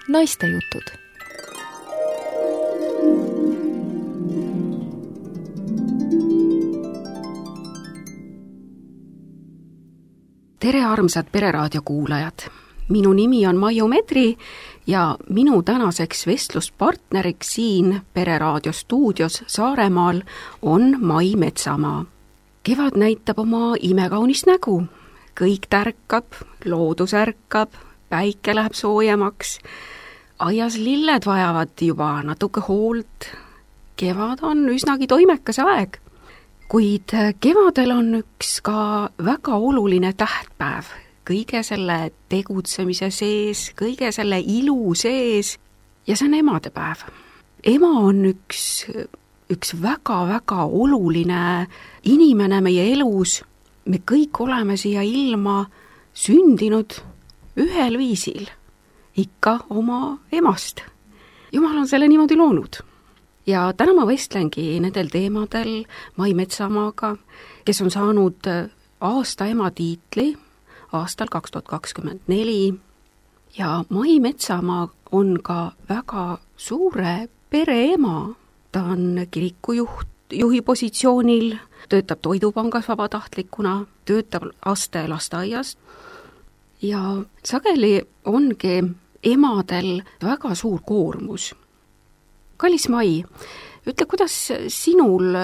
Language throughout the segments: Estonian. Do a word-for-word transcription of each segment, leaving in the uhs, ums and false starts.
Naistejutud. Tere, armsad Pereraadio kuulajad! Minu nimi on Maiu Medri ja minu tänaseks vestluspartneriks siin Pereraadio stuudios Saaremaal on Mai Metsamaa. Kevad näitab oma imekaunist nägu. Kõik tärkab, loodus ärkab, päike läheb soojemaks. Aias lilled vajavad juba natuke hoolt. Kevad on üsnagi toimekas aeg. Kuid kevadel on üks ka väga oluline tähtpäev. Kõige selle tegutsemise sees, kõige selle ilu sees ja see on emadepäev. Ema on üks, üks väga-väga oluline inimene meie elus. Me kõik oleme siia ilma sündinud ühel viisil, ikka oma emast. Jumal on selle niimoodi loonud. Ja täna ma vestlengi nendel teemadel Mai Metsamaaga, kes on saanud aasta ema tiitli aastal kaks tuhat kakskümmend neli. Ja Mai Metsamaa on ka väga suure pereema. Ta on kirikujuht, juhi positsioonil, töötab Toidupangas vabatahtlikuna, töötab laste lasteaias. Ja sageli ongi emadel väga suur koormus. Kallis Mai, ütle, kuidas sinul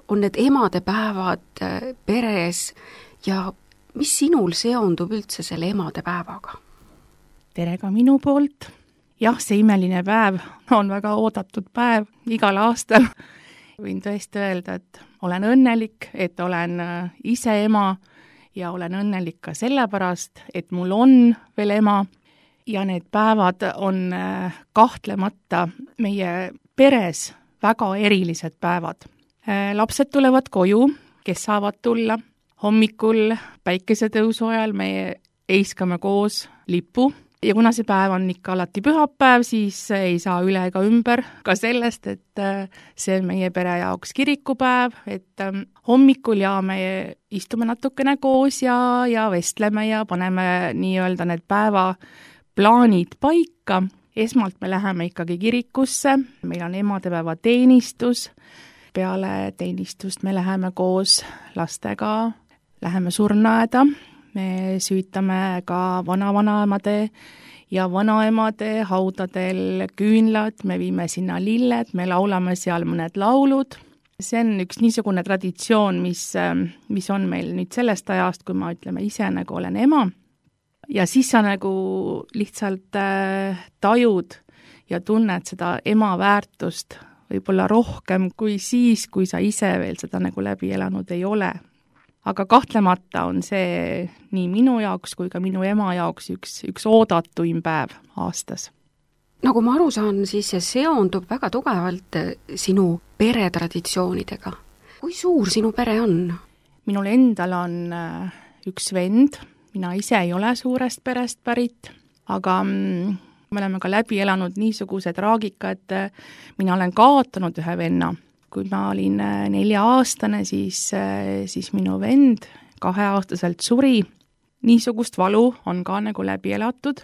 on need emadepäevad peres ja mis sinul seondub üldse selle emadepäevaga? Tere ka minu poolt. Jah, see imeline päev on väga oodatud päev igal aastal. Võin tõesti öelda, et olen õnnelik, et olen ise ema ja olen õnnelik ka sellepärast, et mul on veel ema. Ja need päevad on kahtlemata meie peres väga erilised päevad. Lapsed tulevad koju, kes saavad tulla. Hommikul päikesetõusu ajal me eiskame koos lipu. Ja kuna see päev on ikka alati pühapäev, siis ei saa üle ega ümber ka sellest, et see on meie pere jaoks kirikupäev, et hommikul ja me istume natukene koos ja, ja vestleme ja paneme nii-öelda need päeva plaanid paika. Esmalt me läheme ikkagi kirikusse, meil on emadepäeva teenistus. Peale teenistust me läheme koos lastega, läheme surnuaeda. Me süütame ka vana-vanaemade ja vanaemade haudadel küünlad, me viime sinna lilled, me laulame seal mõned laulud. See on üks niisugune traditsioon, mis, mis on meil nüüd sellest ajast, kui ma ütleme ise nagu olen ema. Ja siis sa nagu lihtsalt äh, tajud ja tunned seda ema väärtust võib-olla rohkem kui siis, kui sa ise veel seda nagu läbi elanud ei ole. Aga kahtlemata on see nii minu jaoks kui ka minu ema jaoks üks, üks oodatuim päev aastas. Nagu ma aru saan, siis see seondub väga tugevalt sinu peretraditsioonidega. Kui suur sinu pere on? Minul endal on üks vend. Mina ise ei ole suurest perest pärit, aga mm, me oleme ka läbi elanud niisuguse traagika, et mina olen kaotanud ühe venna. Kui ma olin nelja-aastane, siis, siis minu vend kaheaastaselt suri. Niisugust valu on ka nagu läbi elatud.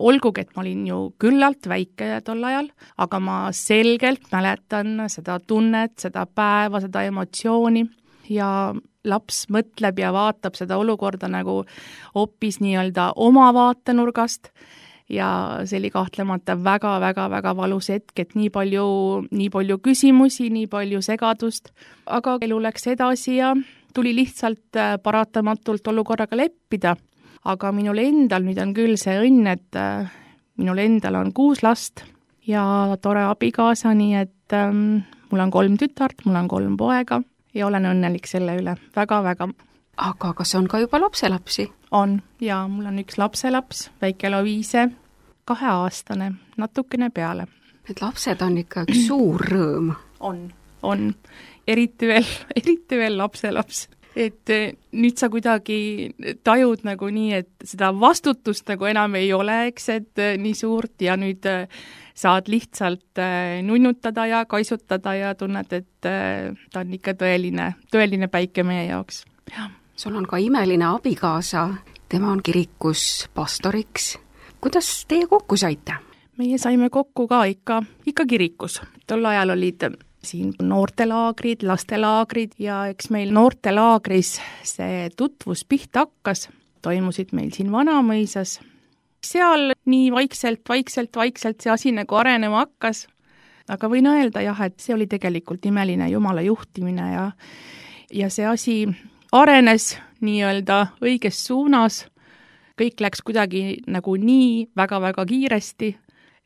Olgugi, et ma olin ju küllalt väike tol ajal, aga ma selgelt mäletan seda tunnet, seda päeva, seda emotsiooni ja laps mõtleb ja vaatab seda olukorda nagu hoopis nii-öelda oma vaatenurgast ja see oli kahtlemata väga-väga-väga valus hetk, et nii palju, nii palju küsimusi, nii palju segadust, aga elu läks edasi ja tuli lihtsalt paratamatult olukorraga leppida. Aga minul endal nüüd on küll see õnn, et minul endal on kuus last ja tore abikaasa, nii et ähm, mul on kolm tütart, mul on kolm poega. Ja olen õnnelik selle üle, väga-väga. Aga kas on ka juba lapselapsi? On, ja mul on üks lapselaps, väike Loviise, kaheaastane, natukene peale. Need lapsed on ikka üks suur rõõm. On, on. Eriti veel, eriti veel lapselaps. Et nüüd sa kuidagi tajud nagu nii, et seda vastutust nagu enam ei ole, eks, et nii suurt ja nüüd saad lihtsalt nunnutada ja kaisutada ja tunned, et ta on ikka tõeline, tõeline päike meie jaoks. Ja. Sul on ka imeline abikaasa, tema on kirikus pastoriks. Kuidas teie kokku saite? meie saime kokku ka ikka, ikka kirikus. Tol ajal olid siin noortelaagrid, lastelaagrid ja eks meil noortelaagris see tutvus pihta hakkas, toimusid meil siin Vanamõisas. Seal nii vaikselt, vaikselt, vaikselt see asi nagu arenema hakkas, aga võin öelda jah, et see oli tegelikult imeline Jumala juhtimine ja, ja see asi arenes nii-öelda õiges suunas, kõik läks kuidagi nagu nii väga-väga kiiresti,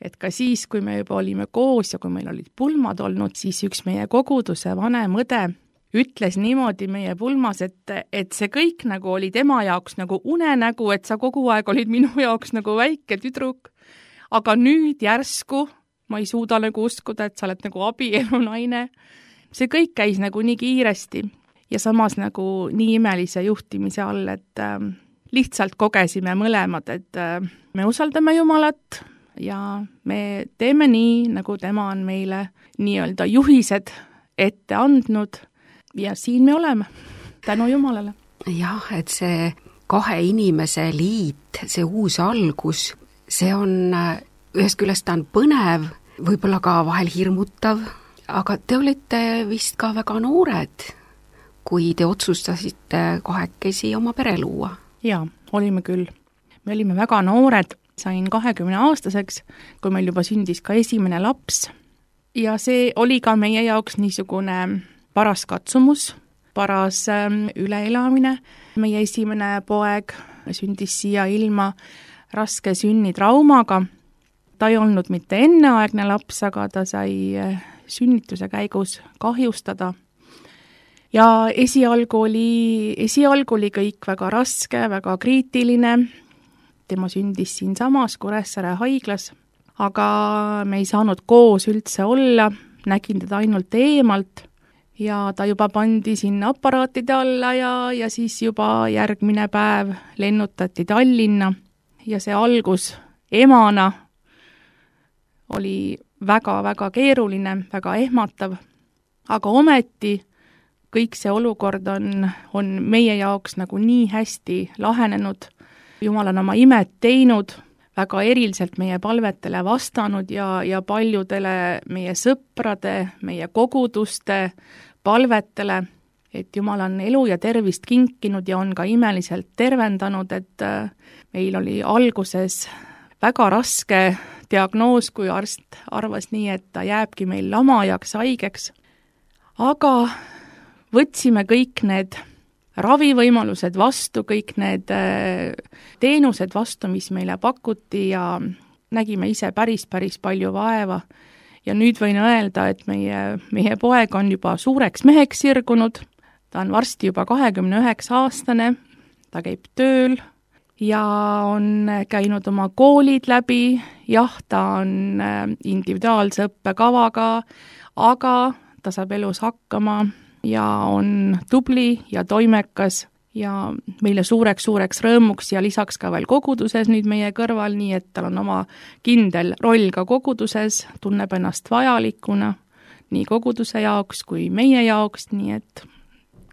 et ka siis, kui me juba olime koos ja kui meil olid pulmad olnud, siis üks meie koguduse vanem õde ütles niimoodi meie pulmas, et, et see kõik nagu oli tema jaoks nagu unenägu, et sa kogu aeg olid minu jaoks nagu väike tüdruk, aga nüüd järsku ma ei suuda nagu uskuda, et sa oled nagu abielu naine. See kõik käis nagu nii kiiresti ja samas nagu nii imelise juhtimise all, et äh, lihtsalt kogesime mõlemad, et äh, me usaldame Jumalat ja me teeme nii, nagu tema on meile nii-öelda juhised ette andnud ja siin me oleme, tänu Jumalale. Jah, et see kahe inimese liit, see uus algus, see on, ühest küljest ta on põnev, võib-olla ka vahel hirmutav, aga te olite vist ka väga noored, kui te otsustasite kahekesi oma pere luua. Jaa, olime küll. Me olime väga noored, sain kahekümne aastaseks, kui meil juba sündis ka esimene laps. Ja see oli ka meie jaoks niisugune paras katsumus, paras üleelamine. Meie esimene poeg sündis siia ilma raske sünnitraumaga. Ta ei olnud mitte enneaegne laps, aga ta sai sünnituse käigus kahjustada. Ja esialgu oli, esialgu oli kõik väga raske, väga kriitiline. Tema sündis siin samas Kuressaare haiglas, aga me ei saanud koos üldse olla, nägin teda ainult eemalt ja ta juba pandi sinna aparaatide alla ja, ja siis juba järgmine päev lennutati Tallinna ja see algus emana oli väga-väga keeruline, väga ehmatav, aga ometi kõik see olukord on, on meie jaoks nagu nii hästi lahenenud. Jumal on oma imet teinud, väga eriliselt meie palvetele vastanud ja, ja paljudele meie sõprade, meie koguduste palvetele, et Jumal on elu ja tervist kinkinud ja on ka imeliselt tervendanud, et meil oli alguses väga raske diagnoos, kui arst arvas nii, et ta jääbki meil lamajaks haigeks. Aga võtsime kõik need ravivõimalused vastu, kõik need teenused vastu, mis meile pakuti ja nägime ise päris, päris palju vaeva. Ja nüüd võin öelda, et meie, meie poeg on juba suureks meheks sirgunud, ta on varsti juba kahekümne üheksa aastane, ta käib tööl ja on käinud oma koolid läbi, jah, ta on individuaalse õppekavaga, aga ta saab elus hakkama ja on tubli ja toimekas ja meile suureks-suureks rõõmuks ja lisaks ka veel koguduses nüüd meie kõrval, nii et tal on oma kindel roll ka koguduses, tunneb ennast vajalikuna nii koguduse jaoks kui meie jaoks, nii et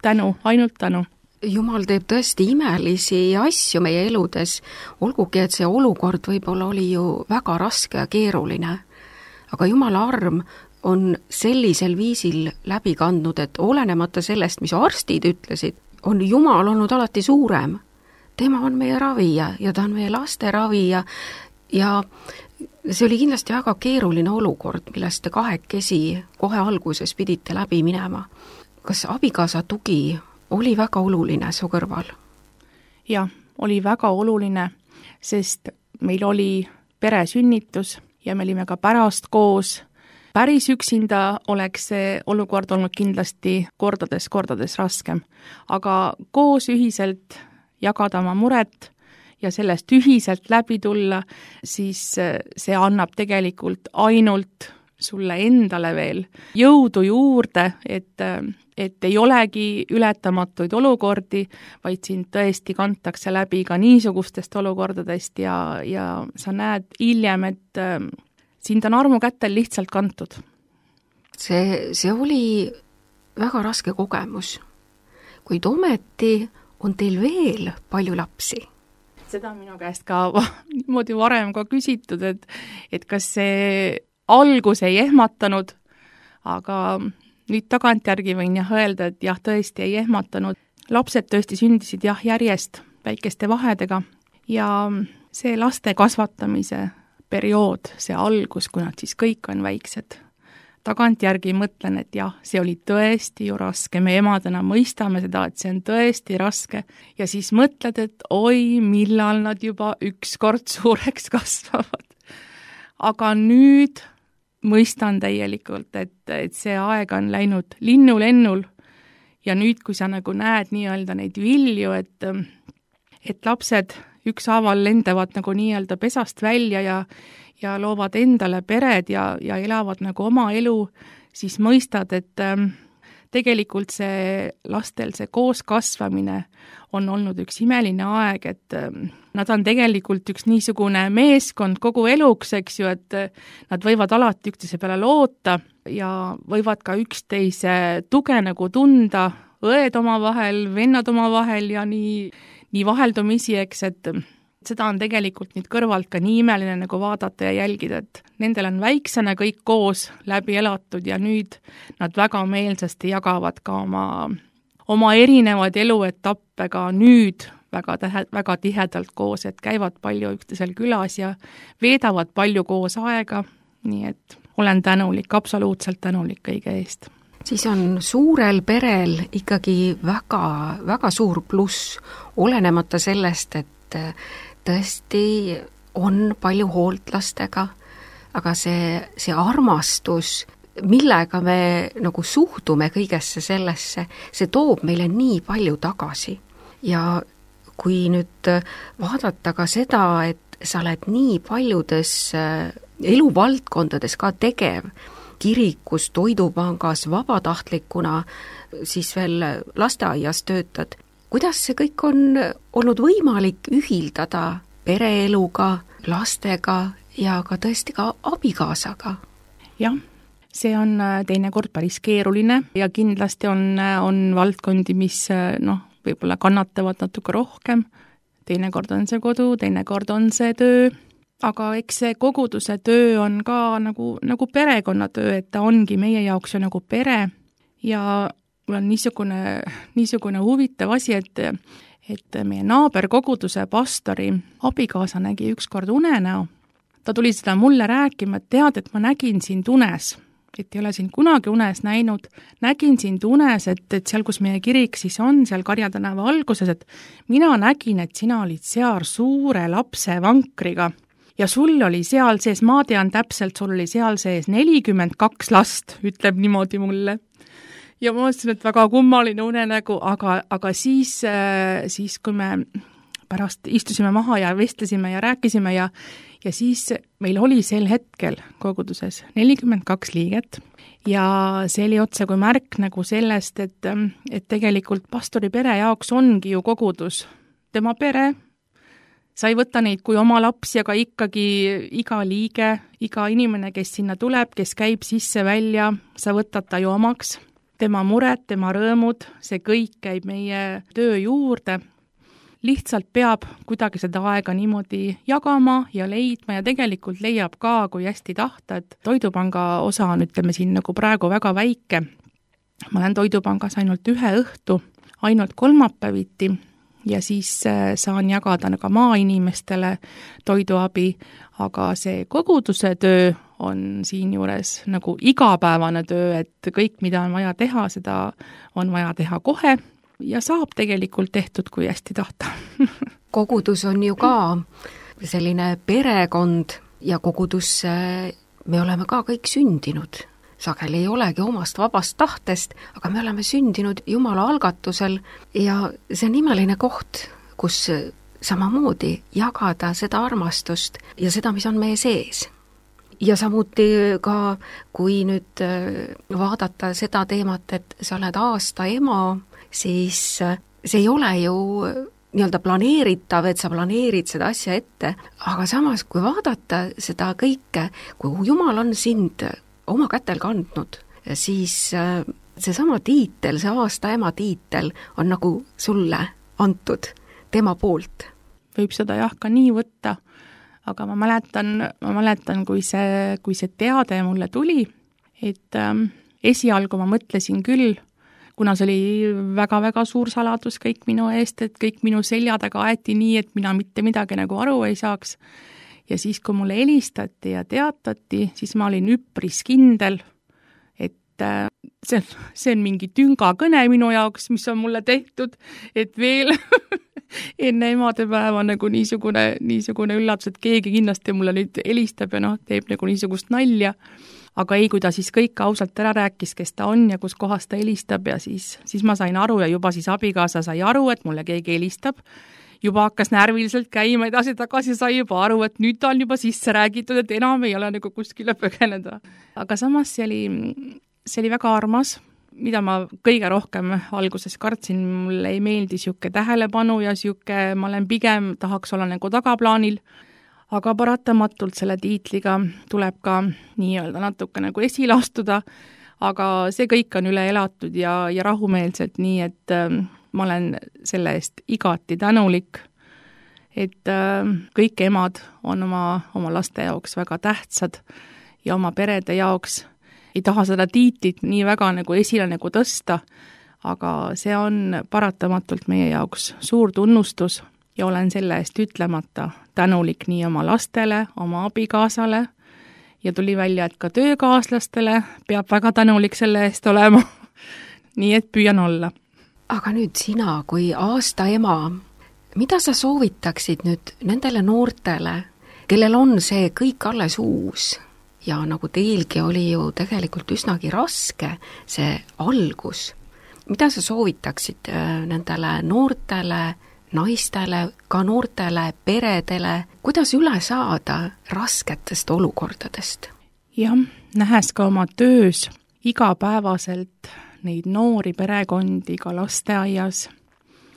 tänu, ainult tänu. Jumal teeb tõesti imelisi asju meie eludes, olgugi, et see olukord võib-olla oli ju väga raske ja keeruline, aga Jumala arm on sellisel viisil läbi kandnud, et olenemata sellest, mis arstid ütlesid, on Jumal olnud alati suurem. Tema on meie ravija ja ta on meie laste ravija ja see oli kindlasti väga keeruline olukord, millest te kahekesi kohe alguses pidite läbi minema. Kas abikaasa tugi oli väga oluline su kõrval? Jah, oli väga oluline, sest meil oli peresünnitus ja me olime ka pärast koos. Päris üksinda oleks see olukord olnud kindlasti kordades, kordades raskem. Aga koos ühiselt jagada oma muret ja sellest ühiselt läbi tulla, siis see annab tegelikult ainult sulle endale veel jõudu juurde, et, et ei olegi ületamatuid olukordi, vaid sind tõesti kantakse läbi ka niisugustest olukordadest ja, ja sa näed hiljem, et sind on armu kätel lihtsalt kantud. See, see oli väga raske kogemus, kuid ometi on teil veel palju lapsi. seda minu käest ka niimoodi varem ka küsitud, et, et kas see algus ei ehmatanud, aga nüüd tagantjärgi võin jah öelda, et jah, tõesti ei ehmatanud. Lapsed tõesti sündisid jah järjest väikeste vahedega ja see laste kasvatamise periood, see algus, kui nad siis kõik on väiksed, tagantjärgi mõtlen, et jah, see oli tõesti ju raske, me emadena mõistame seda, et see on tõesti raske ja siis mõtled, et oi, millal nad juba ükskord suureks kasvavad. Aga nüüd mõistan täielikult, et, et see aeg on läinud linnulennul ja nüüd, kui sa nagu näed nii-öelda neid vilju, et, et lapsed ükshaaval lendavad nagu nii-öelda pesast välja ja ja loovad endale pered ja, ja elavad nagu oma elu, siis mõistad, et ähm, tegelikult see lastel see koos kasvamine on olnud üks imeline aeg, et ähm, nad on tegelikult üks niisugune meeskond kogu eluks, eks ju, et äh, nad võivad alati üksteise peale loota ja võivad ka üksteise tuge nagu tunda, õed oma vahel, vennad oma vahel ja nii, nii vaheldumisi, eks, et seda on tegelikult nüüd kõrvalt ka nii imeline nagu vaadata ja jälgida, et nendel on väiksena kõik koos läbi elatud ja nüüd nad väga meelsasti jagavad ka oma, oma erinevaid eluetappe ka nüüd väga, tähe, väga tihedalt koos, et käivad palju üksteisel külas ja veedavad palju koos aega, nii et olen tänulik, absoluutselt tänulik kõige eest. Siis on suurel perel ikkagi väga, väga suur pluss, olenemata sellest, et tõesti on palju hoolt lastega, aga see, see armastus, millega me nagu suhtume kõigesse sellesse, see toob meile nii palju tagasi. Ja kui nüüd vaadata ka seda, et sa oled nii paljudes eluvaldkondades ka tegev, kirikus, toidupangas, vabatahtlikuna, siis veel lasteaias töötad, kuidas see kõik on olnud võimalik ühildada pereeluga, lastega ja ka tõesti ka abikaasaga? Jah, see on teinekord päris keeruline ja kindlasti on, on valdkondi, mis noh, võib-olla kannatavad natuke rohkem. Teinekord on see kodu, teinekord on see töö, aga eks see koguduse töö on ka nagu, nagu perekonnatöö, et ta ongi meie jaoks ju nagu pere ja mul on niisugune, niisugune huvitav asi, et, et meie naaberkoguduse pastori abikaasa nägi ükskord unenäo. Ta tuli seda mulle rääkima, et tead, et ma nägin sind unes, et ei ole sind kunagi unes näinud, nägin sind unes, et, et seal, kus meie kirik siis on, seal Karja tänava alguses, et mina nägin, et sina olid seal suure lapse vankriga ja sul oli seal sees, ma tean täpselt, sul oli seal sees nelikümmend kaks last, ütleb niimoodi mulle. Ja ma mõtlesin, et väga kummaline unenägu, aga, aga siis, siis, kui me pärast istusime maha ja vestlesime ja rääkisime ja, ja siis meil oli sel hetkel koguduses nelikümmend kaks liiget ja see oli otse kui märk nagu sellest, et, et tegelikult pastori pere jaoks ongi ju kogudus tema pere. Sa ei võta neid kui oma lapsi, aga ikkagi iga liige, iga inimene, kes sinna tuleb, kes käib sisse välja, sa võtad ta ju omaks. Tema mured, tema rõõmud, see kõik käib meie töö juurde. Lihtsalt peab kuidagi seda aega niimoodi jagama ja leidma ja tegelikult leiab ka, kui hästi tahta, et toidupanga osa on, ütleme siin nagu praegu väga väike. Ma olen toidupangas ainult ühe õhtu, ainult kolmapäeviti ja siis saan jagada ka maainimestele toiduabi, aga see koguduse töö on siin juures nagu igapäevane töö, et kõik, mida on vaja teha, seda on vaja teha kohe ja saab tegelikult tehtud, kui hästi tahta. Kogudus on ju ka selline perekond ja kogudus me oleme ka kõik sündinud. Sageli ei olegi omast vabast tahtest, aga me oleme sündinud Jumala algatusel ja see on imeline koht, kus samamoodi jagada seda armastust ja seda, mis on meie sees. Ja samuti ka, kui nüüd vaadata seda teemat, et sa oled aasta ema, siis see ei ole ju nii-öelda planeeritav, et sa planeerid seda asja ette, aga samas, kui vaadata seda kõike, kui Jumal on sind oma kätel kandnud, siis seesama tiitel, see aasta ema tiitel on nagu sulle antud tema poolt. võib seda jah ka nii võtta, aga ma mäletan, ma mäletan, kui see, kui see teade mulle tuli, et ähm, esialgu ma mõtlesin küll, kuna see oli väga-väga suur saladus kõik minu eest, et kõik minu selja taga aeti nii, et mina mitte midagi nagu aru ei saaks. Ja siis, kui mulle helistati ja teatati, siis ma olin üpris kindel, et see on, see on mingi tüngakõne minu jaoks, mis on mulle tehtud, et veel enne emadepäeva nagu niisugune, niisugune üllatus, et keegi kindlasti mulle nüüd helistab ja noh, teeb nagu niisugust nalja. Aga ei, kui ta siis kõik ausalt ära rääkis, kes ta on ja kus kohas ta helistab ja siis, siis ma sain aru ja juba siis abikaasa sai aru, et mulle keegi helistab. Juba hakkas närviliselt käima edasi tagasi, sai juba aru, et nüüd ta on juba sisse räägitud, et enam ei ole nagu kuskile põgeneda. Aga samas see oli, see oli väga armas, mida ma kõige rohkem alguses kartsin, mulle ei meeldi siuke tähelepanu ja siuke, ma olen pigem tahaks olla nagu tagaplaanil, aga paratamatult selle tiitliga tuleb ka nii-öelda natuke nagu esile astuda, aga see kõik on üle elatud ja, ja rahumeelselt nii, et äh, ma olen selle eest igati tänulik, et äh, kõik emad on oma, oma laste jaoks väga tähtsad ja oma perede jaoks ei taha seda tiitlit nii väga nagu esile nagu tõsta, aga see on paratamatult meie jaoks suur tunnustus ja olen selle eest ütlemata tänulik nii oma lastele, oma abikaasale ja tuli välja, et ka töökaaslastele peab väga tänulik selle eest olema. Nii et püüan olla. Aga nüüd sina kui aasta ema, mida sa soovitaksid nüüd nendele noortele, kellel on see kõik alles uus? Ja nagu teilgi oli ju tegelikult üsnagi raske see algus. Mida sa soovitaksid nendele noortele, naistele, ka noortele peredele, kuidas üle saada rasketest olukordadest? Jah, nähes ka oma töös igapäevaselt neid noori perekondi ka lasteaias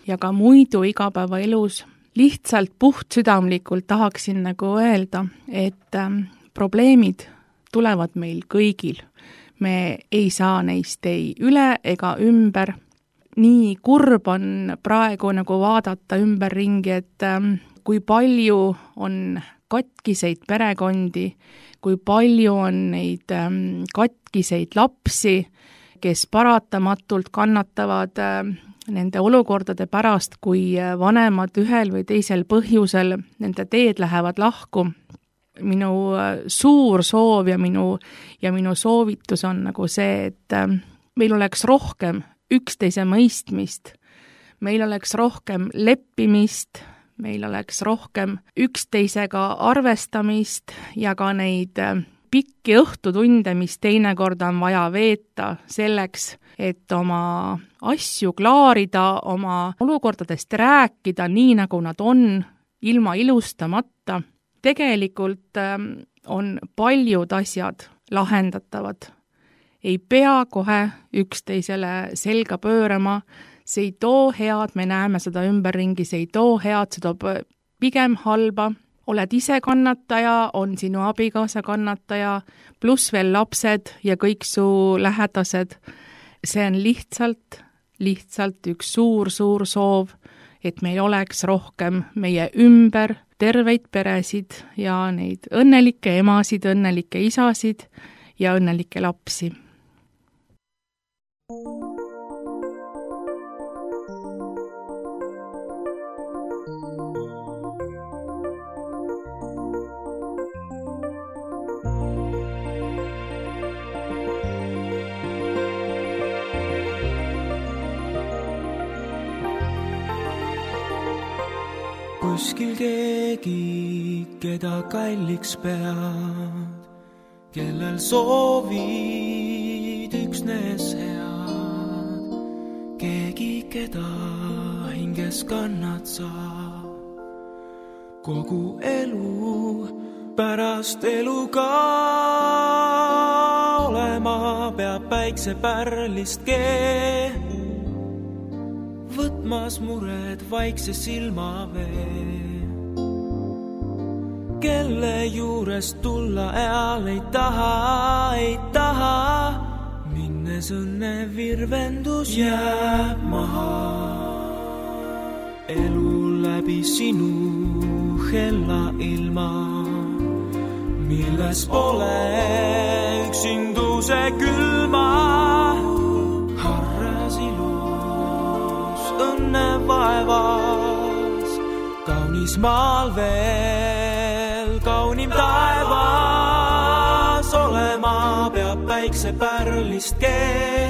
ja ka muidu igapäevaelus, lihtsalt puhtsüdamlikult tahaksin nagu öelda, et ähm, probleemid tulevad meil kõigil. Me ei saa neist ei üle ega ümber. Nii kurb on praegu nagu vaadata ümberringi, et ähm, kui palju on katkiseid perekondi, kui palju on neid ähm, katkiseid lapsi, kes paratamatult kannatavad ähm, nende olukordade pärast, kui vanemad ühel või teisel põhjusel nende teed lähevad lahku. Minu suur soov ja minu, ja minu soovitus on nagu see, et meil oleks rohkem üksteise mõistmist, meil oleks rohkem leppimist, meil oleks rohkem üksteisega arvestamist ja ka neid pikki õhtutunde, mis teinekord on vaja veeta selleks, et oma asju klaarida, oma olukordadest rääkida nii, nagu nad on, ilma ilustamata. Tegelikult on paljud asjad lahendatavad. Ei pea kohe üksteisele selga pöörama, see ei too head, me näeme seda ümberringi, see ei too head, see toob pigem halba. Oled ise kannataja, on sinu abikaasa kannataja, pluss veel lapsed ja kõik su lähedased. See on lihtsalt, lihtsalt üks suur, suur soov, et meil oleks rohkem meie ümber terveid peresid ja neid õnnelikke emasid, õnnelikke isasid ja õnnelikke lapsi. Kuskil keegi, keda kalliks pead, kellel soovid üksnes head, keegi, keda hinges kannad sa, kogu elu pärast eluga olema peab päiksepärlist kee. Võtmas mured vaikse silma vee, kelle juures tulla eal ei taha, ei taha, minnes õnne virvendus jääb maha. Elu läbi sinu hella ilma, milles pole üksinduse külma. Harras ilus õnne vaevas, kaunis maal veel kaunim taevas. Olema peab päikse pärlist kee,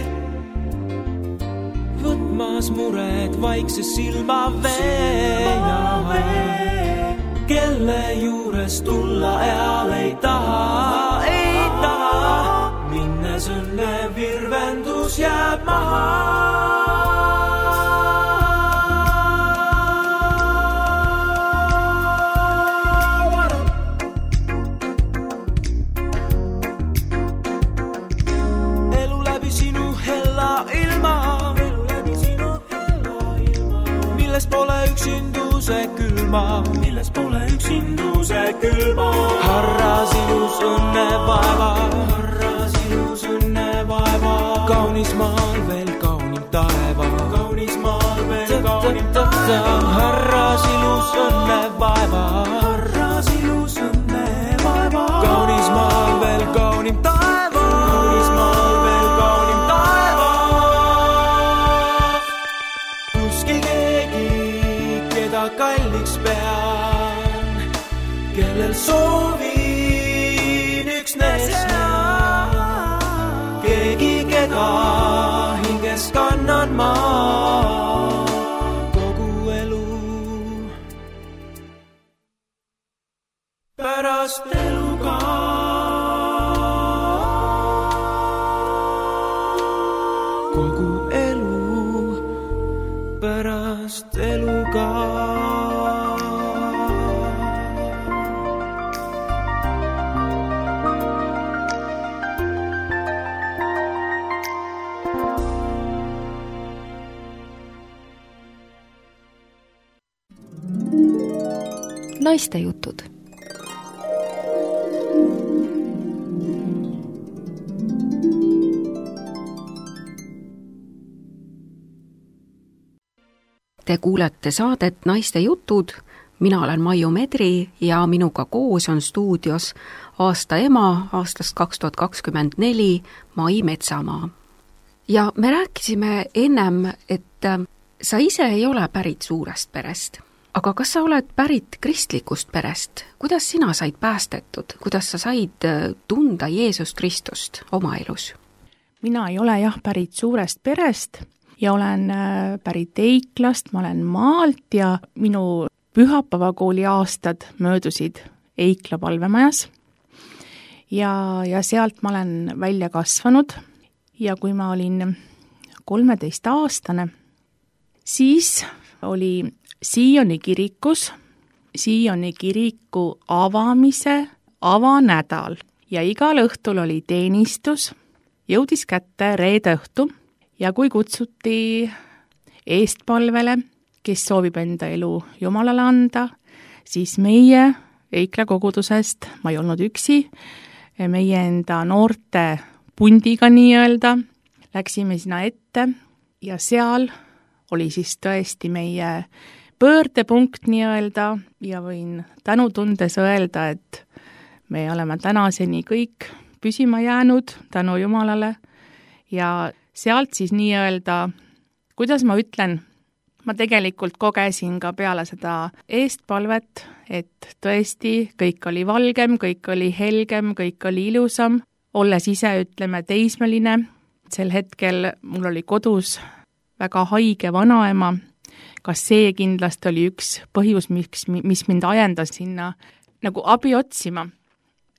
võtmas mured vaikse silma vee ja kelle juures tulla eal ei taha, ei taha. Minnes õnne virvendus jääb maha. Elu läbi sinu hella ilma, milles pole üksinduse külma, milles pole üksinduse külma. Harras ilus õnne vaeva, harras ilus õnne vaeva, kaunis maal veel kaunim taeva, kaunis maal veel kaunim taeva. Harras ilus õnne vaeva, harras ilus õnne vaeva, kaunis maal veel kaunim taeva, kaunis maal veel kaunim taeva. Kuskil keegi, keda kalliks pean, kellel soovin üksnes näha. Keegi, keda hinges kannan ma kogu elu. Pärast eluga kogu elu, pärast eluga. Naiste jutud. Te kuulete saadet Naiste jutud. Mina olen Maiu Medri ja minuga koos on stuudios aasta ema aastast kaks tuhat kakskümmend neli Mai Metsamaa. Ja me rääkisime ennem, et sa ise ei ole pärit suurest perest. Aga kas sa oled pärit kristlikust perest? Kuidas sina said päästetud? Kuidas sa said tunda Jeesus Kristust oma elus? Mina ei ole jah pärit suurest perest ja olen pärit Eiklast, ma olen maalt ja minu pühapäevakooli aastad möödusid Eikla palvemajas. Ja, ja sealt ma olen välja kasvanud ja kui ma olin kolmeteist aastane, siis oli Sioni kirikus, Sioni kiriku avamise avanädal ja igal õhtul oli teenistus, jõudis kätte reede õhtu ja kui kutsuti eestpalvele, kes soovib enda elu Jumalale anda, siis meie Eikla kogudusest, ma ei olnud üksi, meie enda noorte pundiga nii-öelda, läksime sinna ette ja seal oli siis tõesti meie pöördepunkt nii-öelda ja võin tänutundes öelda, et me oleme tänaseni kõik püsima jäänud tänu Jumalale ja sealt siis nii-öelda, kuidas ma ütlen, ma tegelikult kogesin ka peale seda eestpalvet, et tõesti kõik oli valgem, kõik oli helgem, kõik oli ilusam, olles ise, ütleme, teismeline. Sel hetkel mul oli kodus väga haige vanaema, kas see kindlasti oli üks põhjus, miks, mis mind ajendas sinna nagu abi otsima.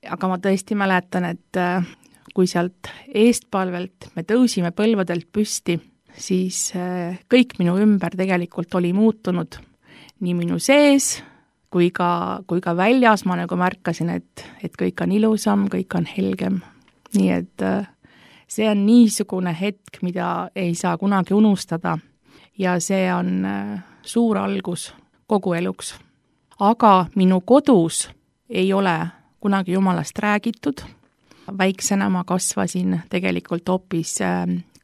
Aga ma tõesti mäletan, et kui sealt eestpalvelt me tõusime põlvedelt püsti, siis kõik minu ümber tegelikult oli muutunud. Nii minu sees kui ka, kui ka väljas ma nagu märkasin, et, et kõik on ilusam, kõik on helgem. Nii et see on niisugune hetk, mida ei saa kunagi unustada ja see on suur algus kogu eluks. Aga minu kodus ei ole kunagi Jumalast räägitud. Väiksena ma kasvasin tegelikult hoopis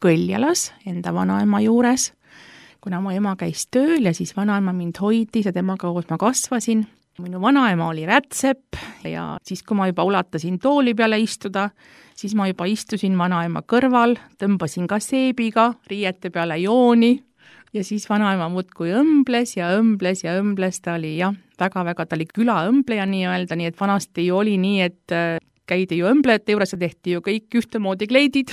Kõljalas enda vanaema juures, kuna mu ema käis tööl ja siis vanaema mind hoidis ja temaga koos ma kasvasin. Minu vanaema oli rätsep ja siis, kui ma juba ulatasin tooli peale istuda, siis ma juba istusin vanaema kõrval, tõmbasin ka seebiga riiete peale jooni ja siis vanaema muudkui õmbles ja õmbles ja õmbles, ta oli jah, väga-väga, ta oli külaõmbleja nii-öelda, nii et vanasti ju oli nii, et käidi ju õmblejate juures ja tehti ju kõik ühtemoodi kleidid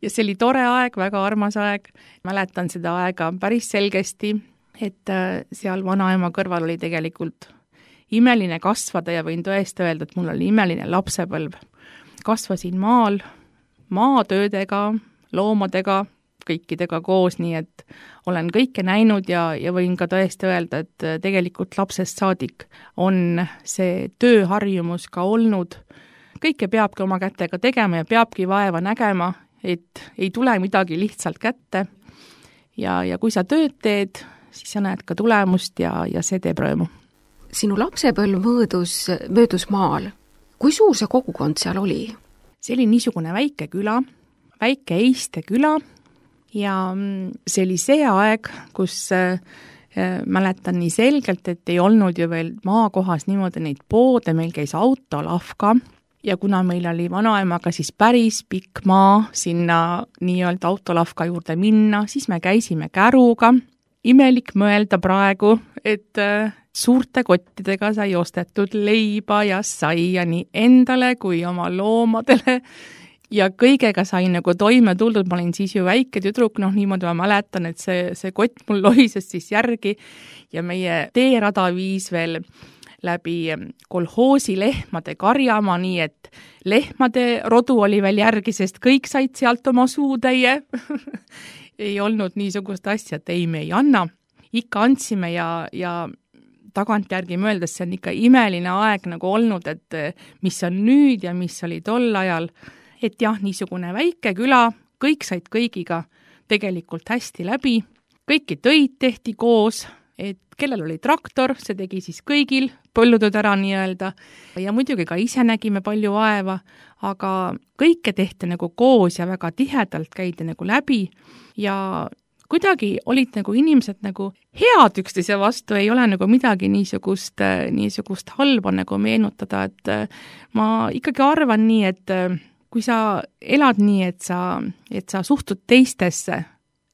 ja see oli tore aeg, väga armas aeg. Mäletan seda aega päris selgesti, et seal vanaema kõrval oli tegelikult imeline kasvada ja võin tõesti öelda, et mul oli imeline lapsepõlv. Kasvasin maal, maatöödega, loomadega, kõikidega koos, nii et olen kõike näinud ja, ja võin ka tõesti öelda, et tegelikult lapsest saadik on see tööharjumus ka olnud. Kõike peabki oma kätega tegema ja peabki vaeva nägema, et ei tule midagi lihtsalt kätte. Ja, ja kui sa tööd teed, siis sa näed ka tulemust ja, ja see teeb rõõmu. Sinu lapsepõlv möödus, möödus maal. Kui suur see kogukond seal oli? See oli niisugune väike küla, väike Eiste küla ja see oli see aeg, kus äh, mäletan nii selgelt, et ei olnud ju veel maakohas niimoodi neid poode, meil käis autolavka ja kuna meil oli vanaemaga siis päris pikk maa sinna nii-öelda autolavka juurde minna, siis me käisime käruga. Imelik mõelda praegu, et suurte kottidega sai ostetud leiba ja saia nii endale kui oma loomadele ja kõigega sai nagu toime tuldud. Ma olin siis ju väike tüdruk, noh niimoodi ma mäletan, et see, see kott mul lohises siis järgi ja meie teerada viis veel läbi kolhoosi lehmade karjama, nii et lehmade rodu oli veel järgi, sest kõik said sealt oma suutäie. Ei olnud niisugust asja, et ei, me ei anna. Ikka andsime ja, ja tagantjärgi mõeldes see on ikka imeline aeg nagu olnud, et mis on nüüd ja mis oli tol ajal. Et jah, niisugune väike küla, kõik said kõigiga tegelikult hästi läbi. Kõiki töid tehti koos, et kellel oli traktor, see tegi siis kõigil põllutööd ära nii-öelda. Ja muidugi ka ise nägime palju vaeva, aga kõike tehti nagu koos ja väga tihedalt käidi nagu läbi ja kuidagi olid nagu inimesed nagu head üksteise vastu, ei ole nagu midagi niisugust, niisugust halba nagu meenutada, et ma ikkagi arvan nii, et kui sa elad nii, et sa, et sa suhtud teistesse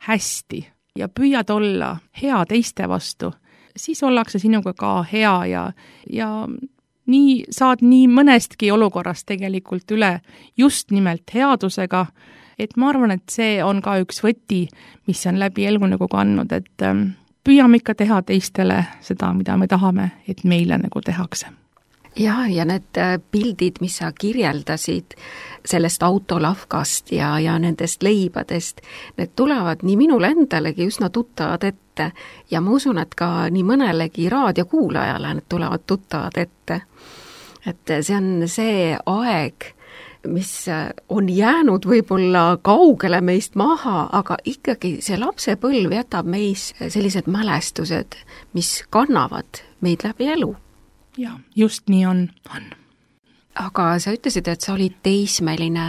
hästi ja püüad olla hea teiste vastu, siis ollakse sinuga ka hea ja, ja nii saad nii mõnestki olukorrast tegelikult üle just nimelt headusega, et ma arvan, et see on ka üks võti, mis on läbi elu nagu kandnud, et püüame ikka teha teistele seda, mida me tahame, et meile nagu tehakse. Ja, ja need pildid, mis sa kirjeldasid sellest autolavkast ja, ja nendest leibadest, need tulevad nii minule endalegi üsna tuttavad ette ja ma usun, et ka nii mõnelegi raadiokuulajale need tulevad tuttavad ette. Et see on see aeg, mis on jäänud võib-olla kaugele meist maha, aga ikkagi see lapsepõlv jätab meis sellised mälestused, mis kannavad meid läbi elu. Ja, just nii on, on. Aga sa ütlesid, et sa olid teismeline.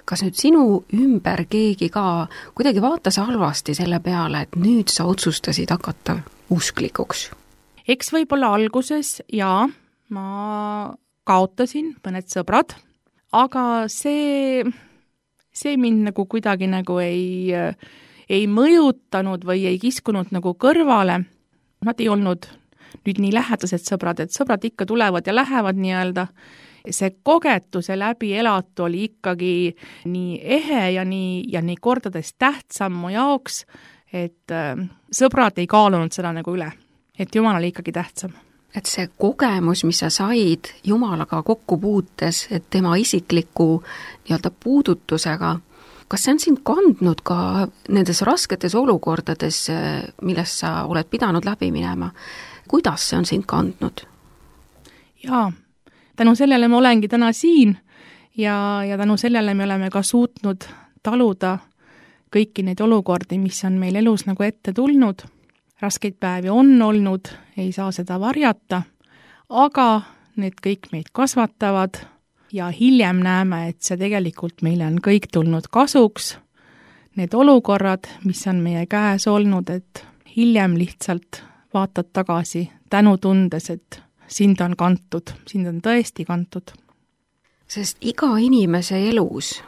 Kas nüüd sinu ümber keegi ka kuidagi vaatas halvasti selle peale, et nüüd sa otsustasid hakata usklikuks? Eks võib-olla alguses, jaa, ma kaotasin mõned sõbrad, aga see, see mind nagu kuidagi nagu ei, ei mõjutanud või ei kiskunud nagu kõrvale. Nad ei olnud nüüd nii lähedased sõbrad, et sõbrad ikka tulevad ja lähevad nii-öelda. See kogetuse läbi elatu oli ikkagi nii ehe ja nii, ja nii kordades tähtsam mu jaoks, et äh, sõbrad ei kaalunud seda nagu üle, et Jumal oli ikkagi tähtsam. Et see kogemus, mis sa said Jumalaga kokku puutes, et tema isikliku nii-öelda puudutusega, kas see on sind kandnud ka nendes rasketes olukordades, milles sa oled pidanud läbi minema? Kuidas see on sind kandnud? Jaa, tänu sellele me olengi täna siin ja, ja tänu sellele me oleme ka suutnud taluda kõiki neid olukordi, mis on meil elus nagu ette tulnud. Raskeid päevi on olnud, ei saa seda varjata, aga need kõik meid kasvatavad ja hiljem näeme, et see tegelikult meile on kõik tulnud kasuks. need olukorrad, mis on meie käes olnud, et hiljem lihtsalt vaatad tagasi tänu tundes, et sind on kantud, sind on tõesti kantud. Sest iga inimese elus,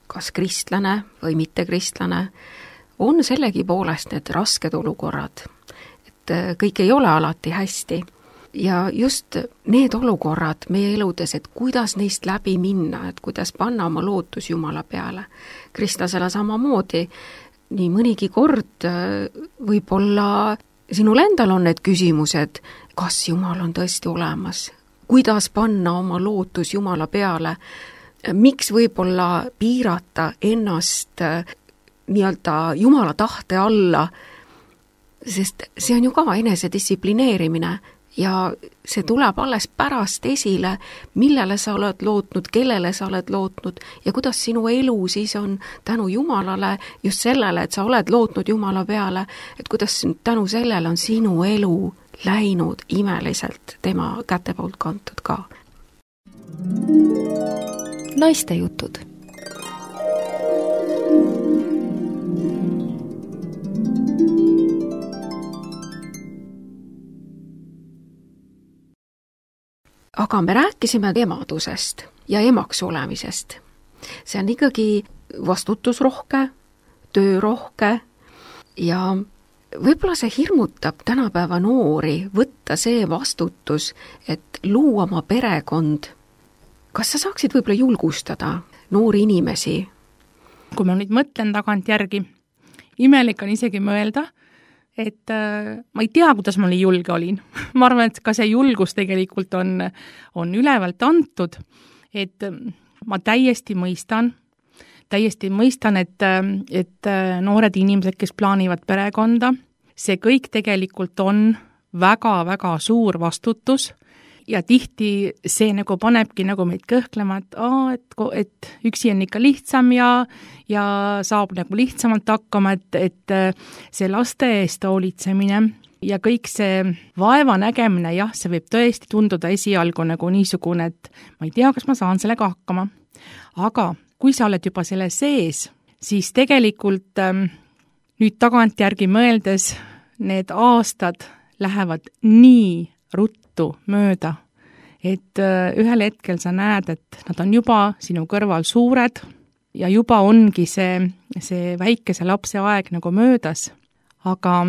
kas kristlane või mitte kristlane, on sellegi poolest need rasked olukorrad, et kõik ei ole alati hästi. Ja just need olukorrad meie eludes, et kuidas neist läbi minna, et kuidas panna oma lootus Jumala peale. Kristlasele samamoodi, nii mõnigi kord võib-olla sinul endal on need küsimused, kas Jumal on tõesti olemas, kuidas panna oma lootus Jumala peale, miks võib-olla piirata ennast nii-öelda Jumala tahte alla, sest see on ju ka enesedistsiplineerimine ja see tuleb alles pärast esile, millele sa oled lootnud, kellele sa oled lootnud ja kuidas sinu elu siis on tänu Jumalale, just sellele, et sa oled lootnud Jumala peale, et kuidas tänu sellele on sinu elu läinud imeliselt tema käte poolt kantud ka. Naiste jutud. Aga me rääkisime emadusest ja emaks olemisest. See on ikkagi vastutusrohke, töörohke ja võib-olla see hirmutab tänapäeva noori võtta see vastutus, et luua oma perekond. Kas sa saaksid võib-olla julgustada noori inimesi? Kui ma nüüd mõtlen tagant järgi, imelik on isegi mõelda, et äh, ma ei tea, kuidas ma nii julge olin. Ma arvan, et ka see julgus tegelikult on, on ülevalt antud, et ma täiesti mõistan, täiesti mõistan, et, et noored inimesed, kes plaanivad perekonda, see kõik tegelikult on väga-väga suur vastutus ja tihti see nagu panebki nagu meid kõhklema, et, aa, et, et üksi on ikka lihtsam ja, ja saab nagu lihtsamalt hakkama, et, et see laste eest hoolitsemine ja kõik see vaeva nägemine, jah, see võib tõesti tunduda esialgu nagu niisugune, et ma ei tea, kas ma saan sellega hakkama. Aga kui sa oled juba selle sees, siis tegelikult ähm, nüüd tagantjärgi mõeldes need aastad lähevad nii ruttu mööda, et äh, ühel hetkel sa näed, et nad on juba sinu kõrval suured ja juba ongi see, see väikese lapse aeg nagu möödas. Aga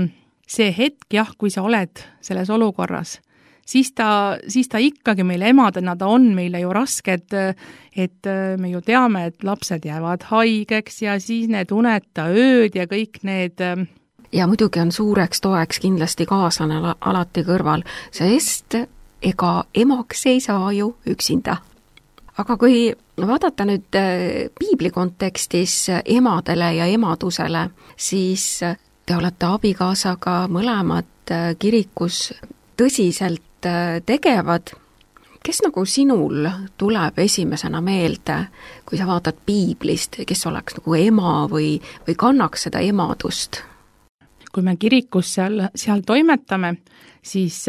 see hetk, jah, kui sa oled selles olukorras, siis ta, siis ta ikkagi meile emadena, ta on meile ju rasked, et me ju teame, et lapsed jäävad haigeks ja siis need uneta ööd ja kõik need. Ja muidugi on suureks toeks kindlasti kaaslane alati kõrval, sest ega emaks ei saa ju üksinda. Aga kui vaadata nüüd piibli kontekstis emadele ja emadusele, siis te olete abikaasaga mõlemad kirikus tõsiselt tegevad. Kes nagu sinul tuleb esimesena meelde, kui sa vaatad piiblist, kes oleks nagu ema või, või kannaks seda emadust? Kui me kirikus seal, seal toimetame, siis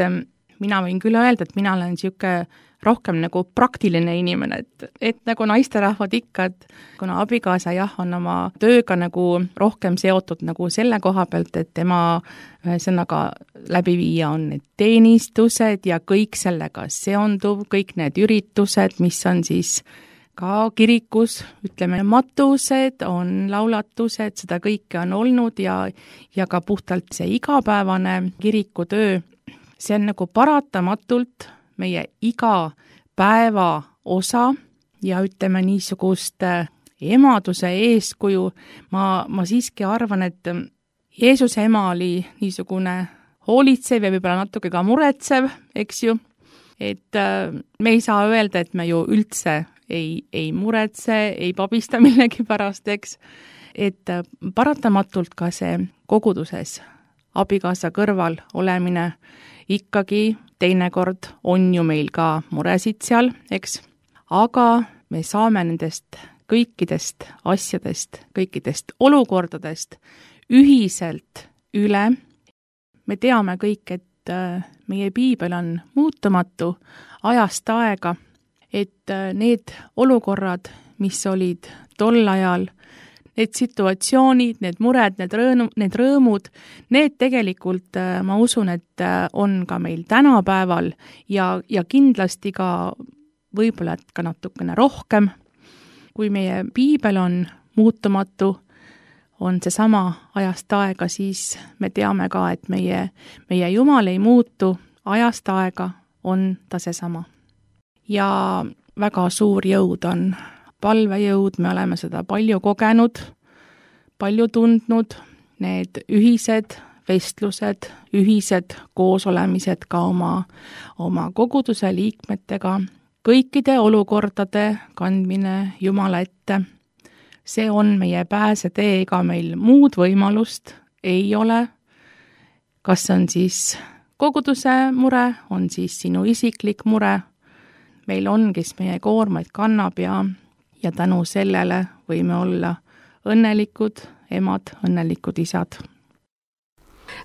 mina võin küll öelda, et mina olen siuke rohkem nagu praktiline inimene, et, et nagu naisterahvad ikka, et kuna abikaasa jah, on oma tööga nagu rohkem seotud nagu selle koha pealt, et tema ühesõnaga läbi viia on need teenistused ja kõik sellega seonduv, kõik need üritused, mis on siis ka kirikus, ütleme, matused, on laulatused, seda kõike on olnud ja, ja ka puhtalt see igapäevane kirikutöö, see on nagu paratamatult meie iga päeva osa ja ütleme niisugust emaduse eeskuju. Ma, ma siiski arvan, et Jeesuse ema oli niisugune hoolitsev ja võib-olla natuke ka muretsev, eks ju, et me ei saa öelda, et me ju üldse ei, ei muretse, ei pabista millegi pärast, eks, et paratamatult ka see koguduses abikaasa kõrval olemine ikkagi teinekord on ju meil ka muresid seal, eks, aga me saame nendest kõikidest asjadest, kõikidest olukordadest ühiselt üle. Me teame kõik, et meie piibel on muutumatu ajast aega, et need olukorrad, mis olid tol ajal, need situatsioonid, need mured, need rõõm, need rõõmud, need tegelikult ma usun, et on ka meil tänapäeval ja, ja kindlasti ka võib-olla ka natukene rohkem. Kui meie piibel on muutumatu, on see sama ajast aega, siis me teame ka, et meie, meie Jumal ei muutu, ajast aega on ta seesama. Ja väga suur jõud on palvejõud, me oleme seda palju kogenud, palju tundnud, need ühised vestlused, ühised koosolemised ka oma, oma koguduse liikmetega, kõikide olukordade kandmine Jumala ette. See on meie pääsetee, ega meil muud võimalust ei ole. Kas on siis koguduse mure, on siis sinu isiklik mure. Meil on, kes meie koormaid kannab ja, ja tänu sellele võime olla õnnelikud emad, õnnelikud isad.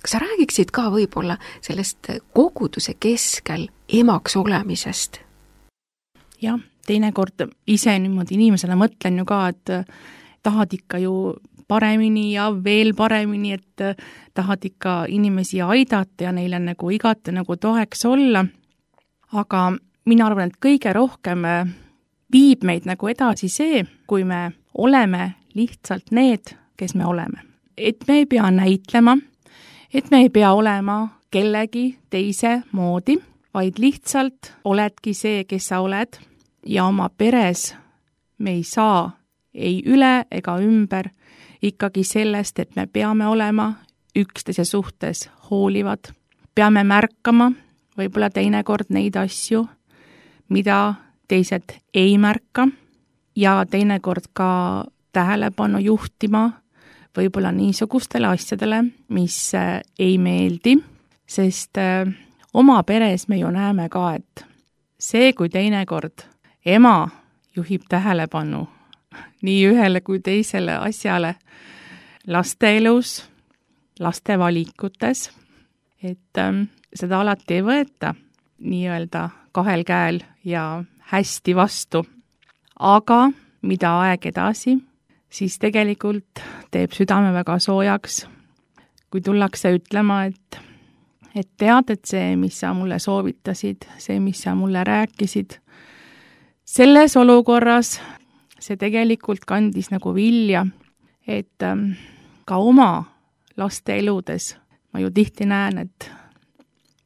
Kas sa räägiksid ka võib-olla sellest koguduse keskel emaks olemisest? Jah, teinekord ise niimoodi inimesena mõtlen ju ka, et tahad ikka ju paremini ja veel paremini, et tahad ikka inimesi aidata ja neile nagu igati nagu toeks olla. Aga mina arvan, et kõige rohkem viib meid nagu edasi see, kui me oleme lihtsalt need, kes me oleme. Et me ei pea näitlema, et me ei pea olema kellegi teise moodi, vaid lihtsalt oledki see, kes sa oled. Ja oma peres me ei saa ei üle ega ümber ikkagi sellest, et me peame olema üksteise suhtes hoolivad. Peame märkama võib-olla teinekord neid asju, mida teised ei märka ja teinekord ka tähelepanu juhtima võib-olla niisugustele asjadele, mis ei meeldi, sest oma peres me ju näeme ka, et see, kui teinekord ema juhib tähelepanu nii ühele kui teisele asjale laste elus, laste valikutes, et ähm, seda alati ei võeta nii-öelda kahel käel ja hästi vastu. Aga mida aeg edasi, siis tegelikult teeb südame väga soojaks, kui tullakse ütlema, et, et tead, et see, mis sa mulle soovitasid, see, mis sa mulle rääkisid, selles olukorras see tegelikult kandis nagu vilja, et ähm, ka oma laste eludes ma ju tihti näen, et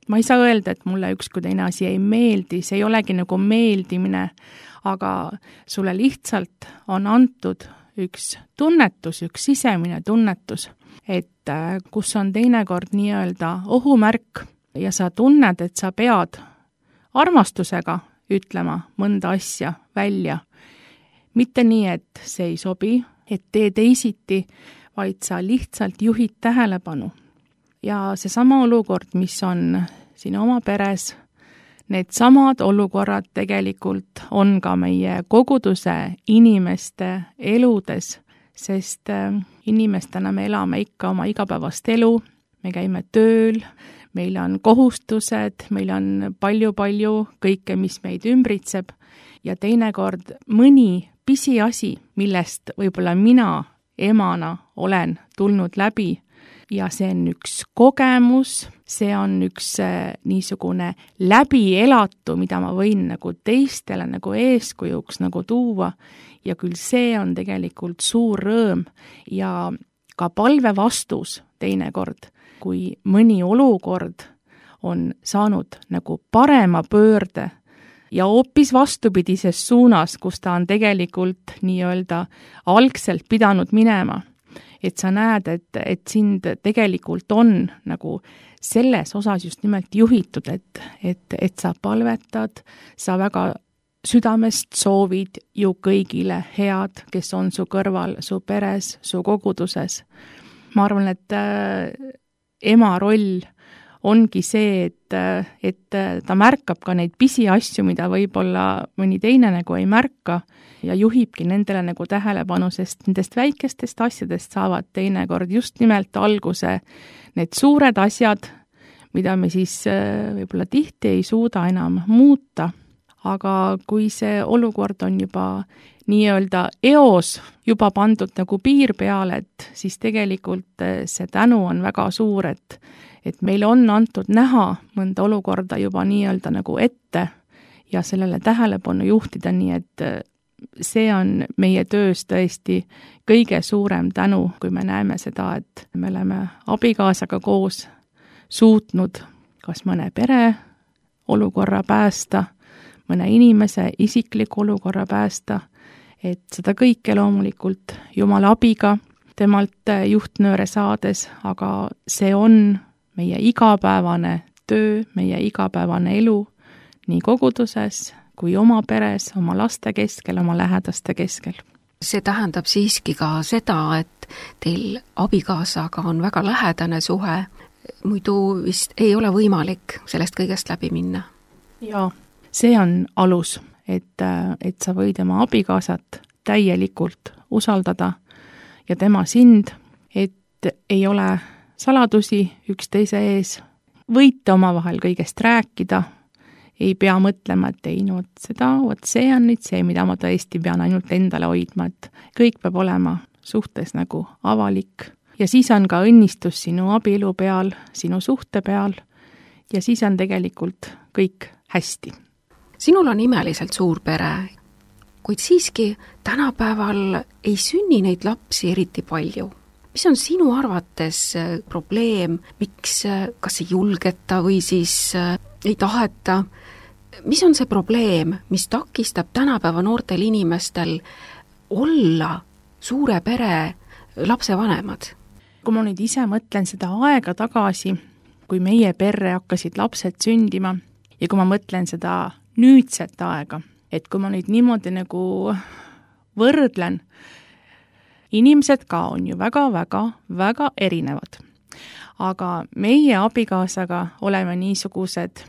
ma ei saa öelda, et mulle üks kui teine asi ei meeldi, see ei olegi nagu meeldimine, aga sulle lihtsalt on antud üks tunnetus, üks sisemine tunnetus, et äh, kus on teinekord nii-öelda ohumärk ja sa tunned, et sa pead armastusega ütlema mõnda asja välja. Mitte nii, et see ei sobi, et tee teisiti, vaid sa lihtsalt juhid tähelepanu. Ja see sama olukord, mis on sinu oma peres, need samad olukorrad tegelikult on ka meie koguduse inimeste eludes, sest inimestena me elame ikka oma igapäevast elu, me käime tööl, meil on kohustused, meil on palju-palju kõike, mis meid ümbritseb ja teinekord mõni pisiasi, millest võib-olla mina emana olen tulnud läbi ja see on üks kogemus, see on üks niisugune läbielatu, mida ma võin nagu teistele nagu eeskujuks nagu tuua ja küll see on tegelikult suur rõõm ja ka palve vastus teinekord, kui mõni olukord on saanud nagu parema pöörde ja hoopis vastupidises suunas, kus ta on tegelikult nii-öelda algselt pidanud minema. Et sa näed, et, et sind tegelikult on nagu selles osas just nimelt juhitud, et, et, et sa palvetad, sa väga südamest soovid ju kõigile head, kes on su kõrval, su peres, su koguduses. Ma arvan, et äh, ema roll ongi see, et, et ta märkab ka neid pisiasju, mida võib-olla mõni teine nagu ei märka ja juhibki nendele nagu tähelepanu, sest nendest väikestest asjadest saavad teinekord just nimelt alguse need suured asjad, mida me siis võib-olla tihti ei suuda enam muuta, aga kui see olukord on juba nii-öelda eos juba pandud nagu piir peale, et siis tegelikult see tänu on väga suur, et, et meil on antud näha mõnda olukorda juba nii-öelda nagu ette ja sellele tähelepanu juhtida, nii et see on meie töös tõesti kõige suurem tänu, kui me näeme seda, et me oleme abikaasaga koos suutnud kas mõne pere olukorra päästa, mõne inimese isikliku olukorra päästa, et seda kõike loomulikult Jumala abiga, temalt juhtnööre saades, aga see on meie igapäevane töö, meie igapäevane elu nii koguduses kui oma peres, oma laste keskel, oma lähedaste keskel. See tähendab siiski ka seda, et teil abikaasaga on väga lähedane suhe, muidu vist ei ole võimalik sellest kõigest läbi minna. Jaa, see on alus, et, et sa võid oma abikaasat täielikult usaldada ja tema sind, et ei ole saladusi üksteise ees, võite omavahel kõigest rääkida, ei pea mõtlema, et ei, no seda, vot see on nüüd see, mida ma tõesti pean ainult endale hoidma, et kõik peab olema suhtes nagu avalik. Ja siis on ka õnnistus sinu abielu peal, sinu suhte peal ja siis on tegelikult kõik hästi. Sinul on imeliselt suur pere, kuid siiski tänapäeval ei sünni neid lapsi eriti palju. Mis on sinu arvates probleem, miks kas ei julgeta või siis ei taheta? Mis on see probleem, mis takistab tänapäeva noortel inimestel olla suure pere lapsevanemad? Kui ma nüüd ise mõtlen seda aega tagasi, kui meie perre hakkasid lapsed sündima ja kui ma mõtlen seda nüüdset aega, et kui ma nüüd niimoodi nagu võrdlen, inimesed ka on ju väga-väga-väga erinevad. Aga meie abikaasaga oleme niisugused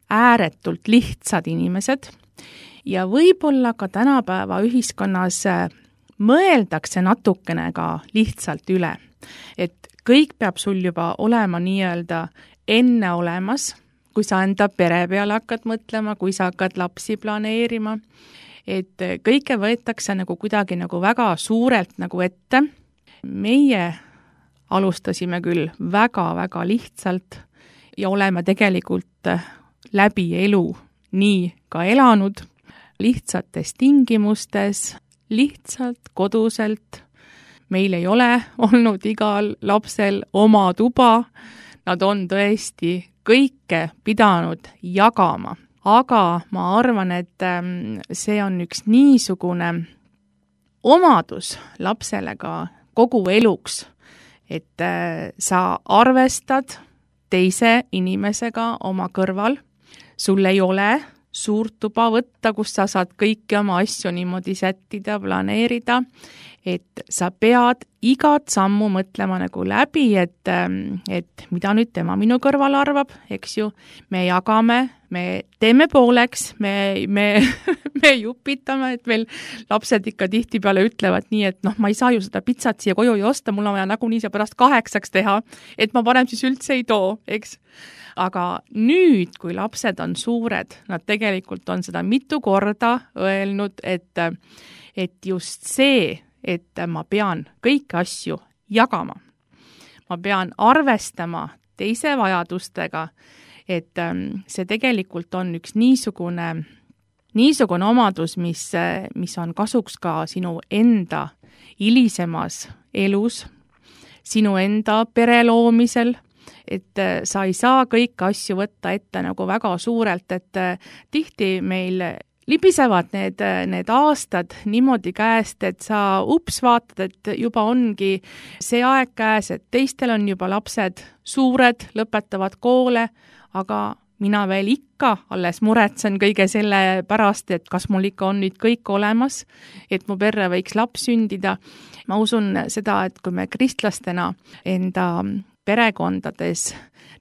ääretult lihtsad inimesed ja võib-olla ka tänapäeva ühiskonnas mõeldakse natukene ka lihtsalt üle. Et kõik peab sul juba olema nii-öelda enne olemas, kui sa enda pere peale hakkad mõtlema, kui sa hakkad lapsi planeerima, et kõike võetakse nagu kuidagi nagu väga suurelt nagu ette. Meie alustasime küll väga-väga lihtsalt ja oleme tegelikult läbi elu nii ka elanud, lihtsates tingimustes, lihtsalt koduselt. Meil ei ole olnud igal lapsel oma tuba, nad on tõesti kõike pidanud jagama. Aga ma arvan, et see on üks niisugune omadus lapsele ka kogu eluks, et sa arvestad teise inimesega oma kõrval, sul ei ole suurt tuba võtta, kus sa saad kõiki oma asju niimoodi sättida, planeerida, et sa pead igat sammu mõtlema nagu läbi, et, et mida nüüd tema minu kõrval arvab, eks ju, me jagame, me teeme pooleks, me, me, me jupitame, et meil lapsed ikka tihtipeale ütlevad nii, et noh, ma ei saa ju seda pitsat siia koju ju osta, mul on vaja nagunii see pärast kaheksaks teha, et ma parem siis üldse ei too, eks. Aga nüüd, kui lapsed on suured, nad tegelikult on seda mitu korda öelnud, et, et just see, et ma pean kõiki asju jagama. Ma pean arvestama teise vajadustega, et see tegelikult on üks niisugune, niisugune omadus, mis, mis on kasuks ka sinu enda hilisemas elus, sinu enda pere loomisel, et sa ei saa kõiki asju võtta ette nagu väga suurelt, et tihti meil libisevad need, need aastad niimoodi käest, et sa ups vaatad, et juba ongi see aeg käes, et teistel on juba lapsed suured, lõpetavad koole, aga mina veel ikka alles muretsen kõige selle pärast, et kas mul ikka on nüüd kõik olemas, et mu perre võiks laps sündida. Ma usun seda, et kui me kristlastena enda perekondades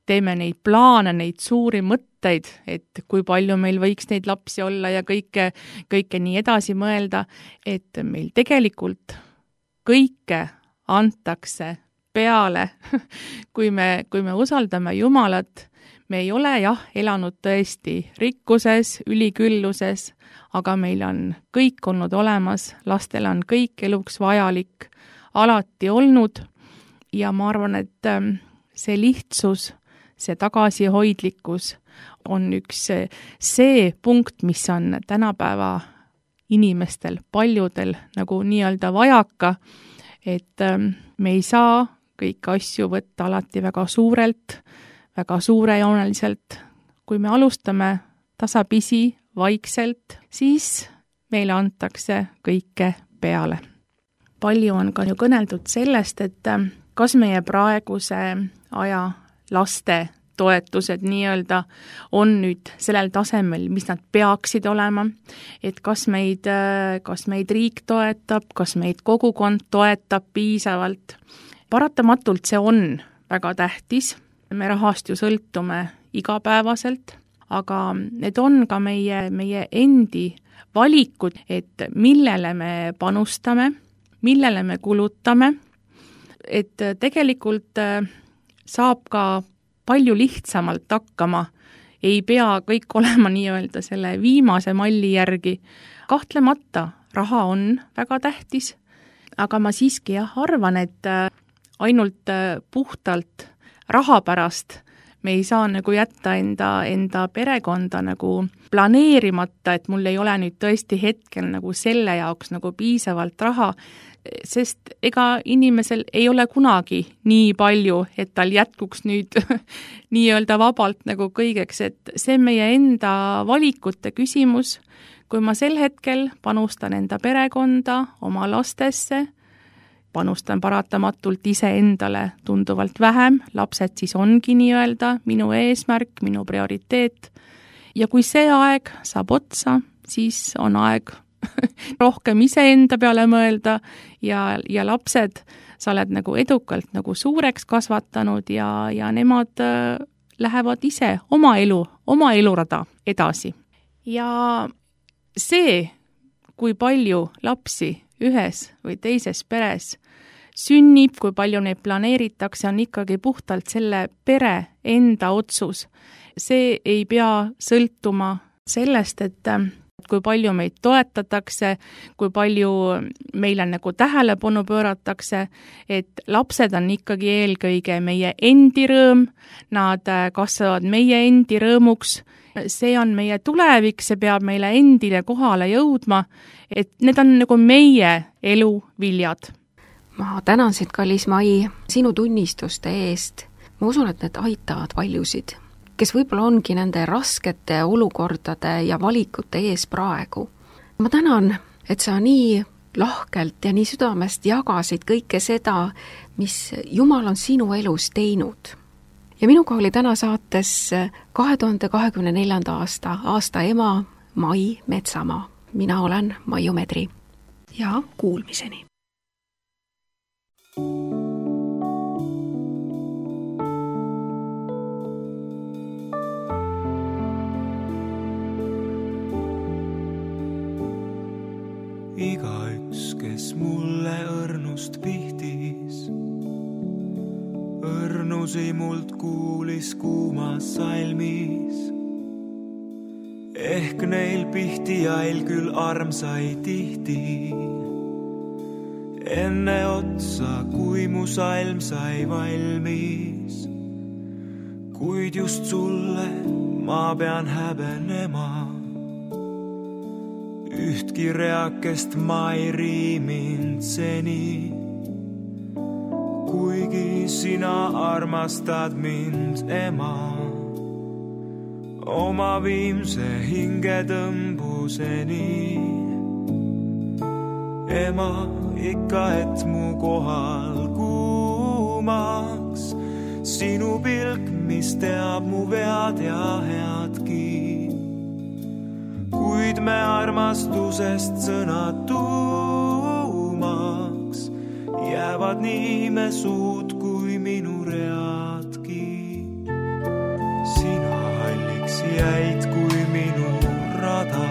teeme neid plaane, neid suuri mõtteid, et kui palju meil võiks neid lapsi olla ja kõike, kõike nii edasi mõelda, et meil tegelikult kõike antakse peale, kui me, kui me usaldame Jumalat, me ei ole jah, elanud tõesti rikkuses, ülikülluses, aga meil on kõik olnud olemas, lastel on kõik eluks vajalik alati olnud ja ma arvan, et see lihtsus, see tagasihoidlikkus on üks see punkt, mis on tänapäeva inimestel, paljudel nagu nii-öelda vajaka, et me ei saa kõiki asju võtta alati väga suurelt, väga suurejooneliselt. Kui me alustame tasapisi, vaikselt, siis meile antakse kõike peale. Palju on ka ju kõneldud sellest, et kas meie praeguse aja laste toetused nii-öelda on nüüd sellel tasemel, mis nad peaksid olema, et kas meid, kas meid riik toetab, kas meid kogukond toetab piisavalt. Paratamatult see on väga tähtis, me rahast ju sõltume igapäevaselt, aga need on ka meie, meie endi valikud, et millele me panustame, millele me kulutame, et tegelikult saab ka palju lihtsamalt hakkama, ei pea kõik olema nii-öelda selle viimase malli järgi. Kahtlemata raha on väga tähtis, aga ma siiski jah, arvan, et ainult puhtalt raha pärast me ei saa nagu jätta enda, enda perekonda nagu planeerimata, et mul ei ole nüüd tõesti hetkel nagu selle jaoks nagu piisavalt raha, sest ega inimesel ei ole kunagi nii palju, et tal jätkuks nüüd nii-öelda vabalt nagu kõigeks, et see on meie enda valikute küsimus. Kui ma sel hetkel panustan enda perekonda, oma lastesse, panustan paratamatult ise endale tunduvalt vähem, lapsed siis ongi nii-öelda minu eesmärk, minu prioriteet. Ja kui see aeg saab otsa, siis on aeg rohkem iseenda peale mõelda ja, ja lapsed sa oled nagu edukalt nagu suureks kasvatanud ja, ja nemad lähevad ise oma elu, oma elurada edasi. Ja see, kui palju lapsi ühes või teises peres sünnib, kui palju neid planeeritakse, on ikkagi puhtalt selle pere enda otsus. See ei pea sõltuma sellest, et kui palju meid toetatakse, kui palju meile nagu tähelepanu pööratakse, et lapsed on ikkagi eelkõige meie endi rõõm, nad kasvavad meie endi rõõmuks, see on meie tulevik, see peab meile endile kohale jõudma, et need on nagu meie elu viljad. Ma tänan sind, kallis Mai, sinu tunnistuste eest. Ma usun, et need aitavad paljusid, kes võib-olla ongi nende raskete olukordade ja valikute ees praegu. Ma tänan, et sa nii lahkelt ja nii südamest jagasid kõike seda, mis Jumal on sinu elus teinud. Ja minuga oli täna saates kahe tuhande kahekümne neljanda aasta aasta ema Mai Metsamaa. Mina olen Maiu Medri. Ja kuulmiseni. Igaüks, kes mulle õrnust pihtis, õrnusi mult kuulis kuumas salmis. Ehk neil pihtijail küll armsai tihti, enne otsa, kui mu salm sai valmis. Kuid just sulle ma pean häbenema, ühtki reakest ma ei riimind seni, kuigi sina armastad mind, ema, oma viimse hingetõmbuseni. Ema, ikka et mu kohal kuumaks, sinu pilk, mis teab mu vead ja headki. Kuid me armastusest sõnad tuumaks, jäävad nii me suud kui minu readki. Sina halliks jäid kui minu rada,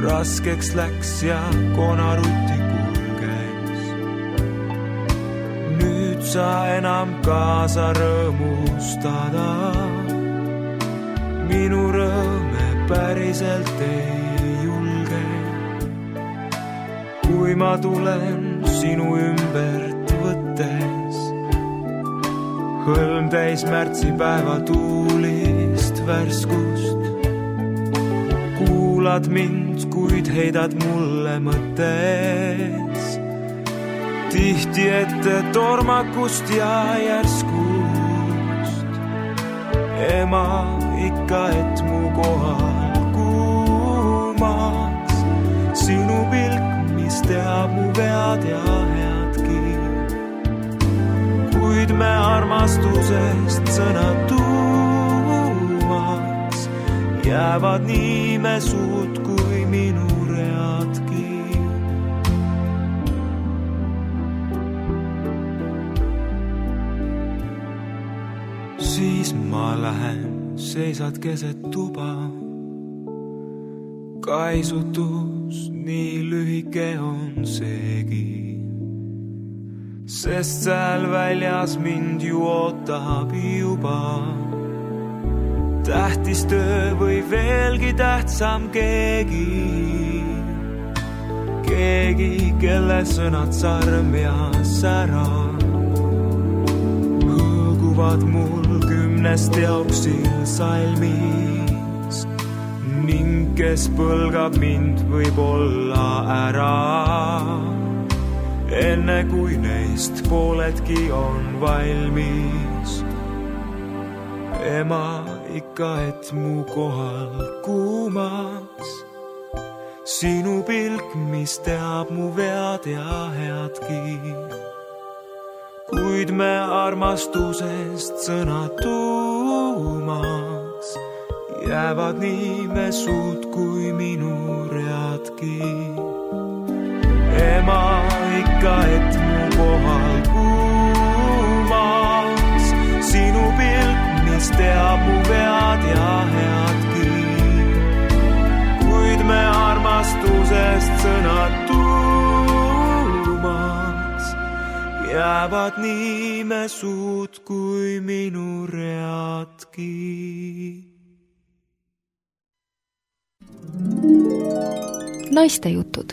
raskeks läks ja konarutti kulges. Nüüd sa enam kaasa rõõmustada. Minu rõõme päriselt ei julge, kui ma tulen sinu ümbert võttes. Hõlm täis märtsipäeva tuulist värskust. Kuulad mind, kuid heidad mulle mõttes. Tihti ette tormakust ja järskust. Ema ikka, et mu kohal kuumaks. Sinu pilk, mis teab mu vead ja headki. Kuid me armastusest sõna tuumaks. Jäävad nii me suud kui minu readki. Siis ma lähen, seisad keset tuba. Kaisutus nii lühike on seegi, sest seal väljas mind ju ootab juba. Tähtis töö või veelgi tähtsam keegi. Keegi, kelle sõnad sarm ja sära hõõguvad mul kümnest teoksil salmis. Ning kes põlgab mind võib-olla ära, enne kui neist pooledki on valmis. Ema ikka, et mu kohal kuumaks. Sinu pilk, mis teab mu vead ja headki. Kuid me armastusest sõna tuumaks. Jäävad nii me suud kui minu readki. Ema ikka, et mu kohal kuumaks. Sinu pilk, mis teab mu vead ja headki. Kuid me armastusest sõna tuumaks. Jäävad nii me suud kui minu readki. Naistejutud.